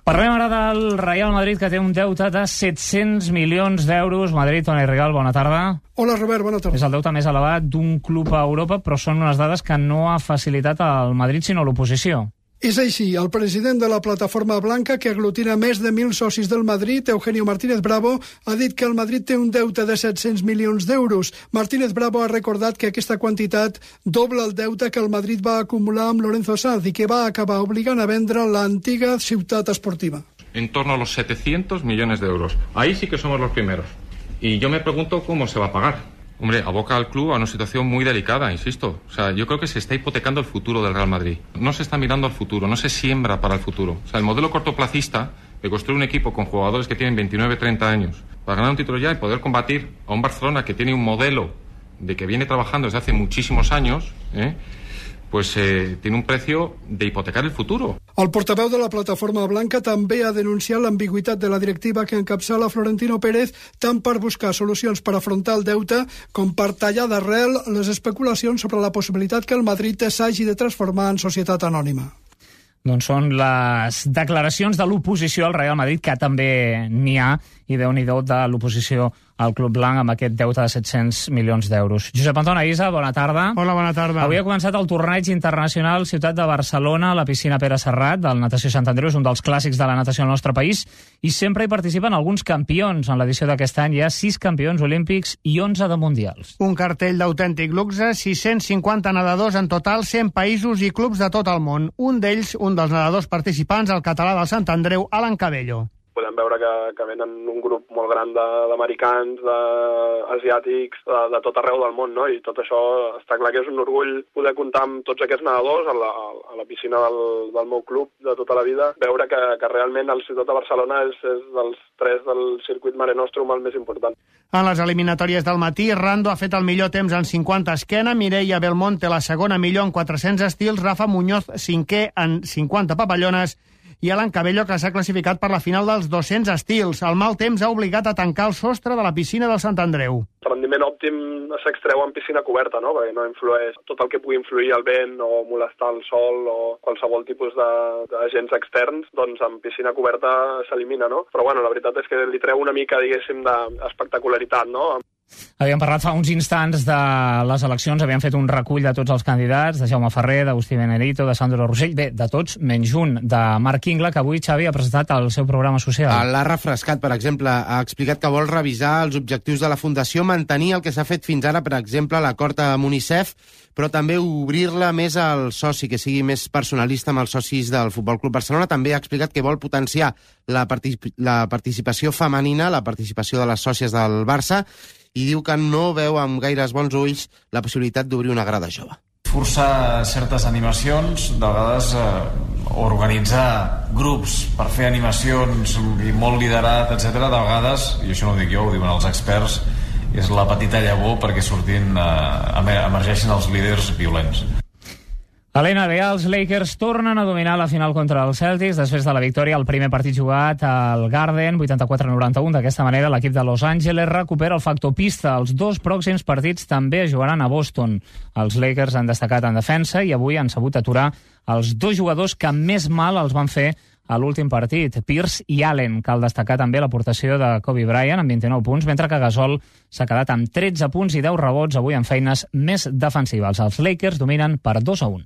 Parlem ara del Real Madrid, que té un deute de 700 milions d'euros. Madrid, Toni Rigal, bona tarda. Hola, Robert, bona tarda. És el deute més elevat d'un club a Europa, però són unes dades que no ha facilitat el Madrid, sinó l'oposició. És així. El president de la Plataforma Blanca, que aglutina més de 1.000 socis del Madrid, Eugenio Martínez Bravo, ha dit que el Madrid té un deute de 700 milions d'euros. Martínez Bravo ha recordat que aquesta quantitat dobla el deute que el Madrid va acumular amb Lorenzo Sanz i que va acabar obligant a vendre l'antiga ciutat esportiva. En torno a los 700 millones de euros. Ahí sí que somos los primeros. Y yo me pregunto cómo se va a pagar. Hombre, aboca al club a una situación muy delicada, insisto. O sea, yo creo que se está hipotecando el futuro del Real Madrid. No se está mirando al futuro, no se siembra para el futuro. O sea, el modelo cortoplacista de construir un equipo con jugadores que tienen 29, 30 años para ganar un título ya y poder combatir a un Barcelona que tiene un modelo de que viene trabajando desde hace muchísimos años, pues tiene un precio de hipotecar el futuro. El portaveu de la Plataforma Blanca també ha denunciat l'ambigüitat de la directiva que encapçala Florentino Pérez tant per buscar solucions per afrontar el deute com per tallar d'arrel les especulacions sobre la possibilitat que el Madrid s'hagi de transformar en societat anònima. Doncs són les declaracions de l'oposició al Real Madrid, que també n'hi ha, i Déu-n'hi-do de l'oposició al Club Blanc amb aquest deute de 700 milions d'euros. Josep Anton Aïssa, bona tarda. Hola, bona tarda. Avui ha començat el torneig internacional Ciutat de Barcelona, a la piscina Pere Serrat, del Natació Sant Andreu, és un dels clàssics de la natació al nostre país, i sempre hi participen alguns campions. En l'edició d'aquest any hi ha 6 campions olímpics i 11 de mundials. Un cartell d'autèntic luxe, 650 nedadors en total, 100 països i clubs de tot el món. Un d'ells, un dels nedadors participants, el català del Sant Andreu, Alan Cabello. Podem veure que venen un grup molt gran d'americans, d'asiàtics, de tot arreu del món, no? I tot això està clar que és un orgull poder comptar amb tots aquests nedadors a la piscina del meu club de tota la vida, veure que realment el Ciutat de Barcelona és dels 3 del circuit Mare Nostrum el més important. En les eliminatòries del matí, Rando ha fet el millor temps en 50 esquena, Mireia Belmonte la segona millor en 400 estils, Rafa Muñoz 5è en 50 papallones, i Alan Cabello, que s'ha classificat per la final dels 200 estils. El mal temps ha obligat a tancar el sostre de la piscina del Sant Andreu. El rendiment òptim s'extreu en piscina coberta, no? Perquè no influeix tot el que pugui influir el vent o molestar el sol o qualsevol tipus d'agents externs, doncs en piscina coberta s'elimina, no? Però bueno, la veritat és que li treu una mica, diguéssim, d'espectacularitat, no? Havíem parlat fa uns instants de les eleccions, havíem fet un recull de tots els candidats, de Jaume Ferrer, d'Agustí Benedito, de Sandro Rossell, bé, de tots, menys un, de Marc Ingla, que avui Xavi ha presentat el seu programa social. L'ha refrescat, per exemple, ha explicat que vol revisar els objectius de la Fundació, mantenir el que s'ha fet fins ara, per exemple, l'acord amb UNICEF, però també obrir-la més al soci, que sigui més personalista amb els socis del Futbol Club Barcelona. També ha explicat que vol potenciar la participació femenina, la participació de les sòcies del Barça, i diu que no veu amb gaires bons ulls la possibilitat d'obrir una grada jove. Forçar certes animacions, de vegades organitzar grups per fer animacions i molt liderat, etc. De vegades, i això no ho dic jo, ho diuen els experts, és la petita llavor perquè emergeixin els líders violents. A l'NBA, els Lakers tornen a dominar la final contra els Celtics després de la victòria al primer partit jugat al Garden, 84-91. D'aquesta manera, l'equip de Los Angeles recupera el factor pista. Els 2 pròxims partits també es jugaran a Boston. Els Lakers han destacat en defensa i avui han sabut aturar els 2 jugadors que més mal els van fer a l'últim partit, Pierce i Allen. Cal destacar també l'aportació de Kobe Bryant amb 29 punts, mentre que Gasol s'ha quedat amb 13 punts i 10 rebots avui en feines més defensives. Els Lakers dominen per 2-1.